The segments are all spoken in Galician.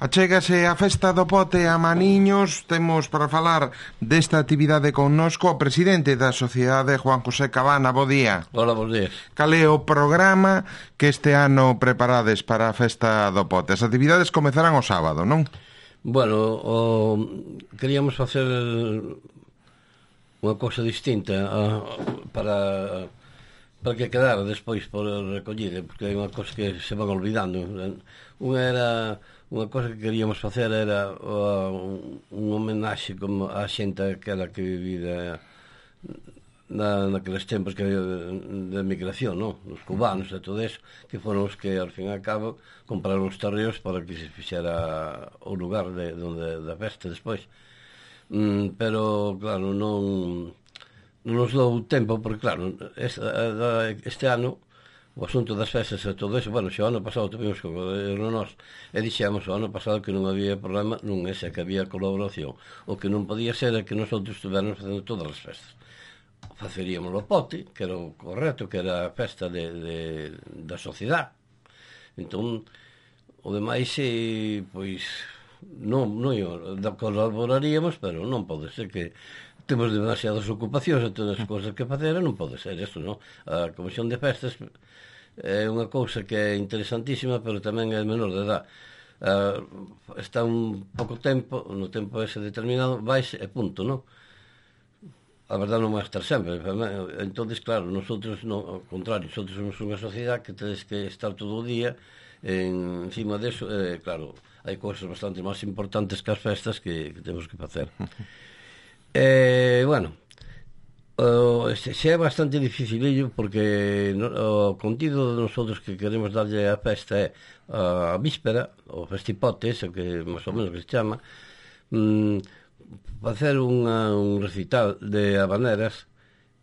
Achégase a Festa do Pote a Maniños. Temos para falar desta actividade connosco o presidente da Sociedade, Juan José Cabana. Bo día. Hola, bons días. Cal é o programa que este ano preparades para a Festa do Pote? As actividades comezarán o sábado, non? Bueno, queríamos facer unha cousa distinta para que quedara despois por recollida, porque hai unha cousa que se van olvidando. Unha cousa que queríamos facer era un homenaxe como a xente aquela que vivida naqueles tempos que había de migración, non? Os cubanos e todo eso, que foron os que, ao fin e ao cabo, compraron os terreos para que se fixera o lugar da festa despois. Pero, claro, non nos dou tempo, porque, claro, este ano o asunto das festas e todo eso, bueno, xa o ano pasado tuvimos que nós e dixemos o ano pasado que non había problema, non ese, que había colaboración. O que non podía ser é que nosotros estuvernos facendo todas as festas. Faceríamos o pote, que era o correcto, que era a festa da sociedade. Entón, o demais, pois, non colaboraríamos, pero non pode ser que temos demasiadas ocupacións e todas as cousas que facer, non pode ser isto, non? A Comisión de Festas é unha cousa que é interesantísima, pero tamén é menor de edad. Está un pouco tempo, no tempo ese determinado, vais e punto, non? A verdade non vai estar sempre. Entón, claro, nosotros, ao contrario, nosotros somos unha sociedade que tedes que estar todo o día encima deso. Claro, hai cousas bastante máis importantes que as festas que temos que facer. Bueno, xe é bastante dificilillo, porque o contido de nosotros que queremos darlle a festa é a víspera, o festipote, ese que máis ou menos que se chama, facer un recital de habaneras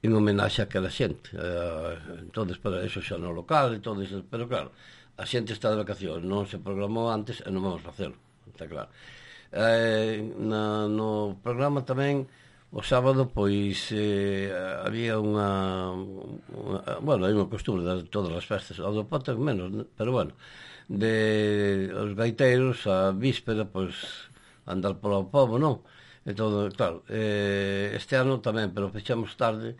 en homenaxe a aquela xente. Entón, para eso xa no local e todo eso, pero claro, a xente está de vacacións, non se programou antes e non vamos facelo, está claro. No programa tamén o sábado, pois, había bueno, hai unha costumbre de todas as festas, ao do Pote menos, pero bueno, de os gaiteiros a víspera, pois, andar polo pobo, non? E todo, claro, este ano tamén, pero fechamos tarde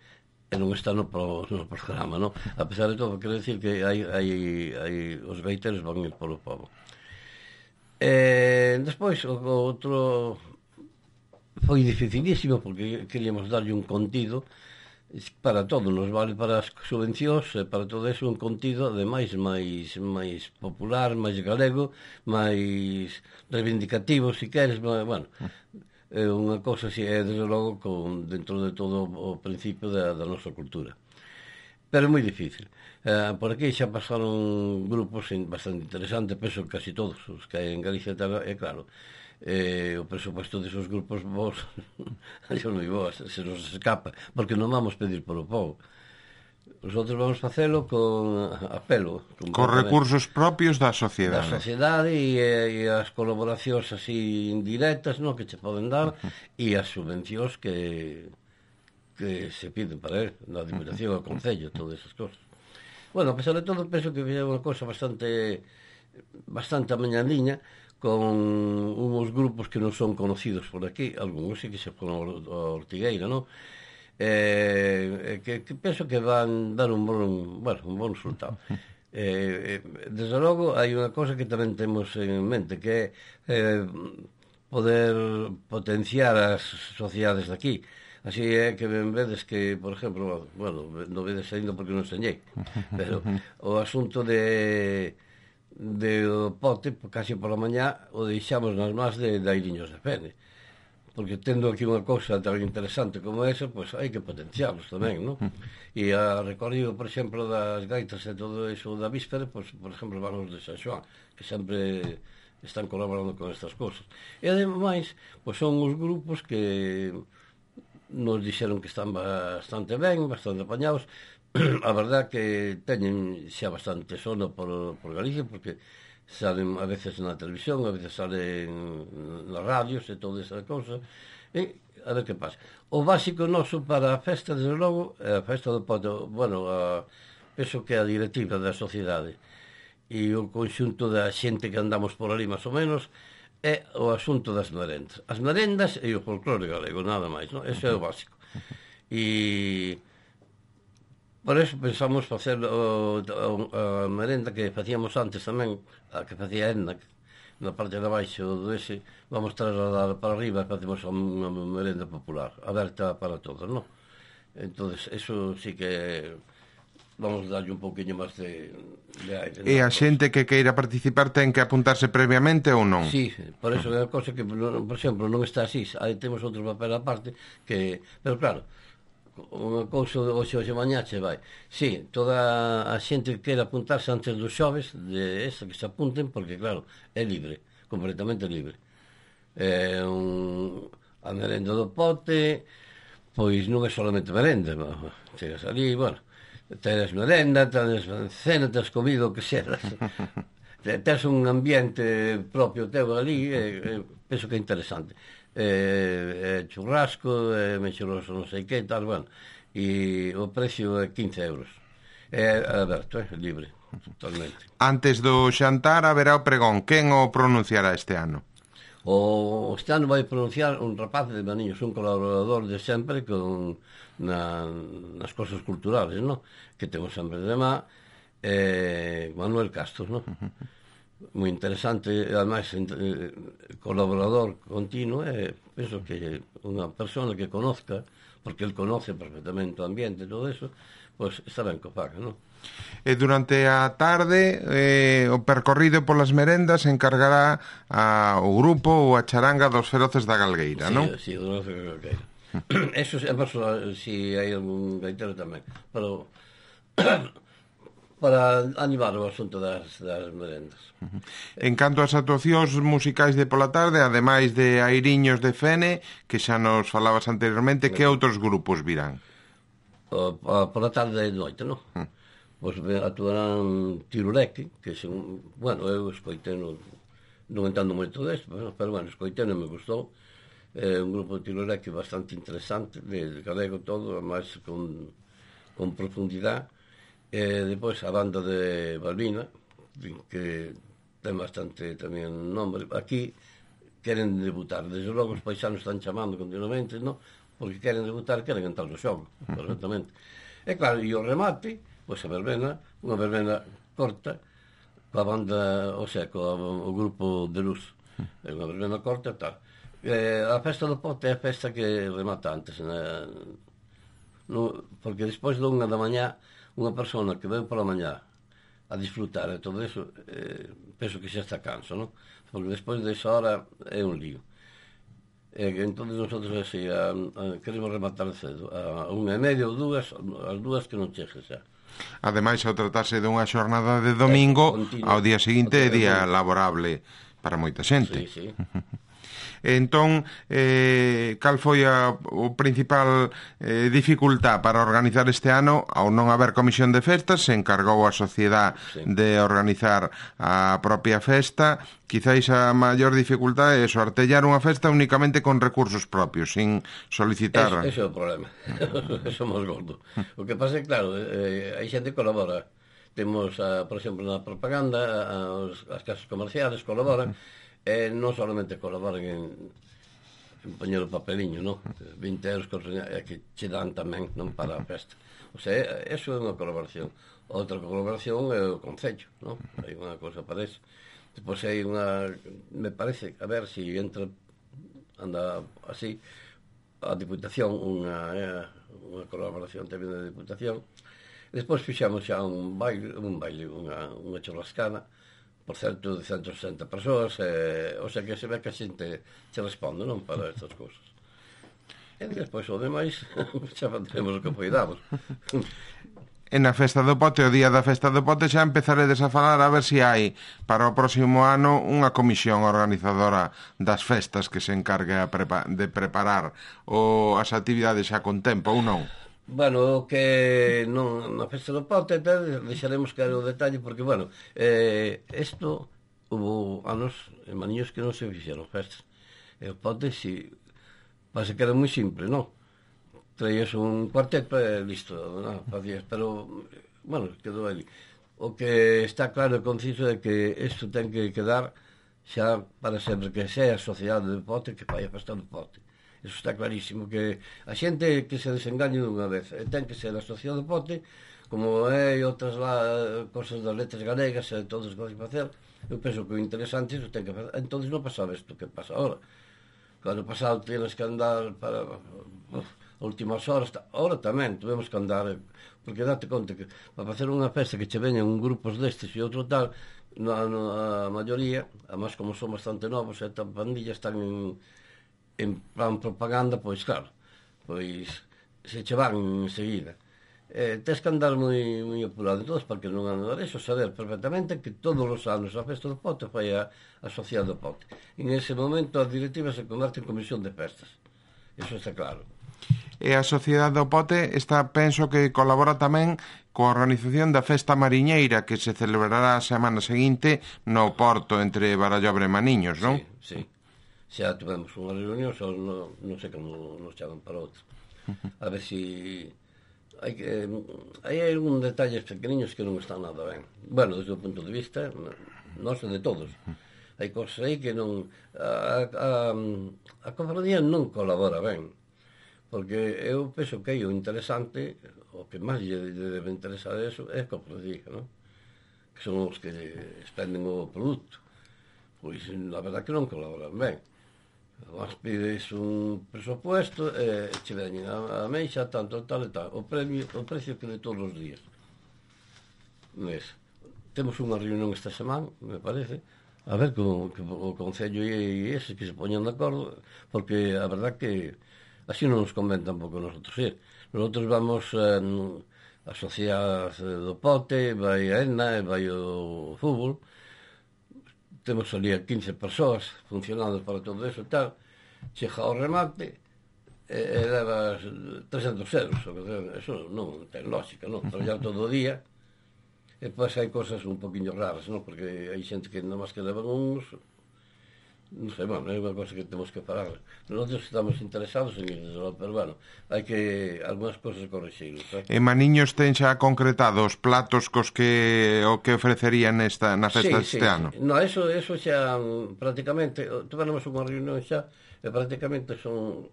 e non está no programa, non? A pesar de todo, quero dicir que os gaiteiros van ir polo pobo. Despois, o outro foi dificilísimo, porque queríamos darlle un contido para todo, nos vale para as subvencións e para todo eso, un contido ademais máis popular, máis galego, máis reivindicativo, se queres, bueno, unha cousa así, é desde logo dentro de todo o principio da nosa cultura, pero é moi difícil. Por aquí xa pasaron grupos bastante interesantes, penso que casi todos os que hai en Galicia, é claro, o presupuesto desos grupos vos yo non vou, se nos escapa, porque non vamos pedir polo povo. Nosotros vamos facelo con apelo, con recursos propios da sociedade. Da sociedade e as colaboracións así indirectas, non, que che poden dar, e as subvencións que se piden para él, na Diputación, ao Concello, todas esas cosas. Bueno, a pesar de todo, penso que é unha cosa bastante amañadiña, con uns grupos que non son conocidos por aquí, algúns sí que se foron a Ortigueira, non? Que penso que van dar un bon resultado. Desde logo, hai unha cosa que tamén temos en mente, que é poder potenciar as sociedades de aquí. Así é que ben vedes que, por exemplo, bueno, non vedes ainda porque non enseñei, pero o asunto de o pote, casi pola mañá, o deixamos nas mans de Airiños de Fene, porque tendo aquí unha cousa tan interesante como esa, pois hai que potenciarlos tamén, non? E a recorrido, por exemplo, das gaitas e todo iso da víspera, pois, por exemplo, van os de San Xoán, que sempre están colaborando con estas cousas. E ademais, pois son os grupos que nos dixeron que están bastante ben, bastante apañados. A verdad que teñen xa bastante sono por Galicia, porque salen a veces na televisión, a veces salen nas radios e toda esa cousa, e a ver que pasa. O básico noso para a festa, desde logo, é a festa do Pote. Bueno, penso que a directiva da sociedade e o conxunto da xente que andamos por ali, máis ou menos, é o asunto das merendas. As merendas e o folclore galego, nada máis, non? Ese é o básico. E por eso pensamos facer a merenda que facíamos antes tamén, a que facía Edna, na parte de baixo do ese, vamos trasladar para arriba e facemos unha merenda popular, aberta para todos, non? Entonces, eso sí que vamos darlle un pouquiño máis de aire. E a xente que queira participar ten que apuntarse previamente ou non? Sí, por eso é a cosa que, por exemplo, non está así. Aí temos outro papel aparte que... Pero claro, unha cousa hoxe mañá che vai. Sí, toda a xente que queira apuntarse antes dos xoves de esta que se apunten, porque claro, é libre, completamente libre. A merenda do pote, pois non é solamente merenda, chegas ali, bueno, tenes merenda, tenes cena, tenes comido o que seras. Tens un ambiente propio teu ali, penso que é interesante. Churrasco, mexeroso non sei que, tal, bueno, e o precio é 15 euros. É aberto, libre, totalmente. Antes do xantar haberá o pregón. Quen o pronunciará este ano? Este ano vai pronunciar un rapaz de Maniños, un colaborador de sempre nas cosas culturales, no? Que temos sempre de má, Manuel Castro, no? Moi interesante, ademais colaborador continuo, penso que unha persona que conozca, porque el conoce perfectamente o ambiente e todo eso, pois está ben que o faga, non? E durante a tarde o percorrido polas merendas encargará o grupo ou a charanga dos Feroces da Galgueira, non? Sí, dos Feroces da Galgueira. Eso é si hai algún gaitero tamén, pero para animar o asunto das merendas. En canto ás actuacións musicais de pola tarde, ademais de Airiños de Fene, que xa nos falabas anteriormente, que outros grupos virán? Pola tarde e noite, non? Pois actuarán Tirureque, que bueno, eu escoitei, non entendo moito desto, pero bueno, escoitei e me gustou. É un grupo de Tirureque bastante interesante, de galego todo, máis con profundidade. E depois a banda de Balbina, que ten bastante tamén nombre. Aquí queren debutar, desde logo os paisanos están chamando continuamente, non? Porque queren debutar, queren entrar no xogo, perfectamente. E claro, e o remate, pois a verbena, unha verbena corta, coa banda, o sea, o grupo de luz, unha verbena corta e tal. A festa do pote é a festa que remata antes, porque despois de unha da mañá, unha persona que veu pola mañá a disfrutar e todo eso, penso que xa está canso, non? Porque despois desa hora é un lío. Entón, nosotros así, queremos rematar cedo, a 1:30 ou 2, as 2 que non chegue xa. Ademais, ao tratarse dunha xornada de domingo, ao día seguinte é día laborable para moita xente. Sí, sí. Entón, cal foi o principal dificultad para organizar este ano? Ao non haber comisión de festas, se encargou a sociedade de organizar a propia festa. Quizáis a maior dificultade é artellar unha festa únicamente con recursos propios, sin solicitar... Ese é o problema. Somos gordos. O que pasa é, claro, hai xente que colabora. Temos, por exemplo, na propaganda, as casas comerciales colaboran, non solamente colaboran en poñer o papeliño, non? 20 euros que che dan tamén, non, para a festa. O sea, eso é unha colaboración. Outra colaboración é o Concello, non? Hai unha cosa para eso. Depois hai unha, me parece, a ver se anda así, a Diputación, unha colaboración tamén da Diputación. Despois fixamos xa un baile, unha churrascada, por certo, de 160 persoas, o sea que se ve que a xente se responde, non, para estas cousas. E despois o demais xa teremos o que poidamos. E na festa do pote, o día da festa do pote, xa empezaredes a falar a ver se hai para o próximo ano unha comisión organizadora das festas que se encargue de preparar as actividades xa con tempo ou non? Bueno, que non, na festa do pote deixaremos caer o detalle porque, bueno, isto hubo anos en Maniños que non se fixeron festas. E o pote, si, pasa que era moi simple, non? Traías un cuarteto e listo, non? Facías, pero, bueno, quedou ali. O que está claro e conciso é que isto ten que quedar xa para sempre que sea a sociedade de pote que fai a festa do pote. Eso está clarísimo, que a xente que se desengañe dunha vez, ten que ser a sociedade do pote, como é outras cosas das letras galegas e todas as cosas que facer. Eu penso que o interesante é ten que facer. Entón non pasaba isto que pasa ahora. Cando pasado tienes que andar para últimas horas, ahora tamén tuvemos que andar, porque date conta que para facer unha festa que che veñan grupos destes e outro tal, a maioría, además como son bastante novos e tan pandillas están en plan propaganda, pois claro, pois se che van enseguida. Tens que andar moi apurado todos para que non andar eso, saber perfectamente que todos os anos a festa do pote fai a sociedade do pote. En ese momento a directiva se converte en comisión de festas, eso está claro. E a sociedade do pote penso que colabora tamén coa organización da festa mariñeira que se celebrará a semana seguinte no Porto entre Barallobre e Maniños, non? Sí. Xa tivemos unha reunión, só non sei como nos chaman para outro. A ver si hai algún detalles pequeniños que non están nada ben. Bueno, desde o punto de vista noso de todos. Hai cosas aí que non a cofradía non colabora ben, porque eu penso que aí o interesante, o que máis lle debe interesar eso é a cofradía, non? Que son os que expenden o produto. Pois a verdade que non colaboran ben. Vas pides un presupuesto e che veñen a meixa tanto tal e tal, o precio que de todos os días. Temos unha reunión esta semana, me parece, a ver como o Concello e ese que se poñan de acordo, porque a verdad que así non nos convén tampouco nosotros ir. Nosotros vamos a sociedade do pote, vai a ENA e vai o fútbol. Temos ali a 15 persoas funcionando para todo eso e tal. Chega ao remate e levas 300 euros. Eso non ten lógica, non? Traballar todo o día e depois hai cosas un poquinho raras, non? Porque hai xente que nada máis que levan uns, non sei, bueno, é unha cosa que temos que parar. Nosotros estamos interesados en iso, pero bueno, hai que algunhas cosas corrixir. En Maniños ten xa concretado os platos cos que o que ofrecerían na festa deste ano? No, eso xa prácticamente, tivemos unha reunión xa e prácticamente son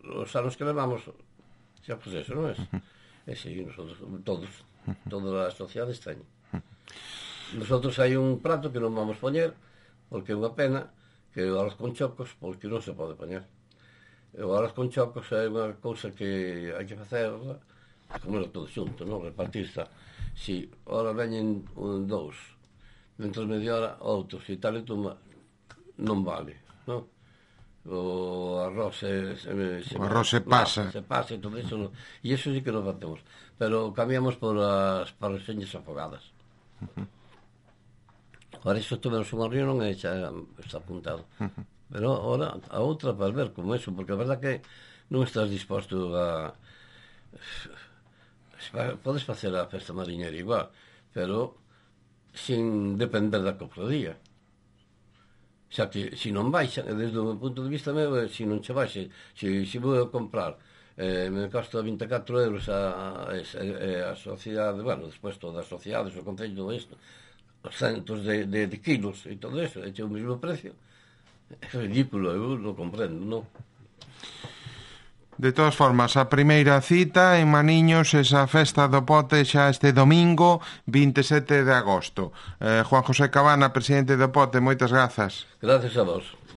os anos que levamos xa pues eso, non é? E si, nosotros, todas as sociedades teñen. Nosotros hai un plato que non vamos poñer porque é unha pena, que o arroz con chocos, porque non se pode poñer. O arroz con chocos é unha cousa que hai que facer, comerlo todo xunto, non? Repartirse. Si, ora veñen dous, dentro de media hora outros, e tal e toma, non vale, non? O arroz se pasa e todo iso, non? E iso sí que non facemos, pero cambiamos por as parrexeñas afogadas. Ahora iso tuvemos unha reunión e xa está apuntado. Pero ahora a outra para ver como eso, porque a verdad que non estás disposto a... Podes facer a festa mariñera igual, pero sin depender da cofradía. Xa que, se non vai, desde o punto de vista meu, se non che vai, se vou a comprar, me costa 24 euros a sociedade, bueno, despois todas as sociedades, o Concello, todo isto, os centos de kilos e todo eso, é o mesmo precio. É ridículo, eu non comprendo, non? De todas formas, a primeira cita en Maniños, esa festa do pote xa este domingo 27 de agosto. Juan José Cabana, presidente do pote, moitas grazas. Gracias a vos.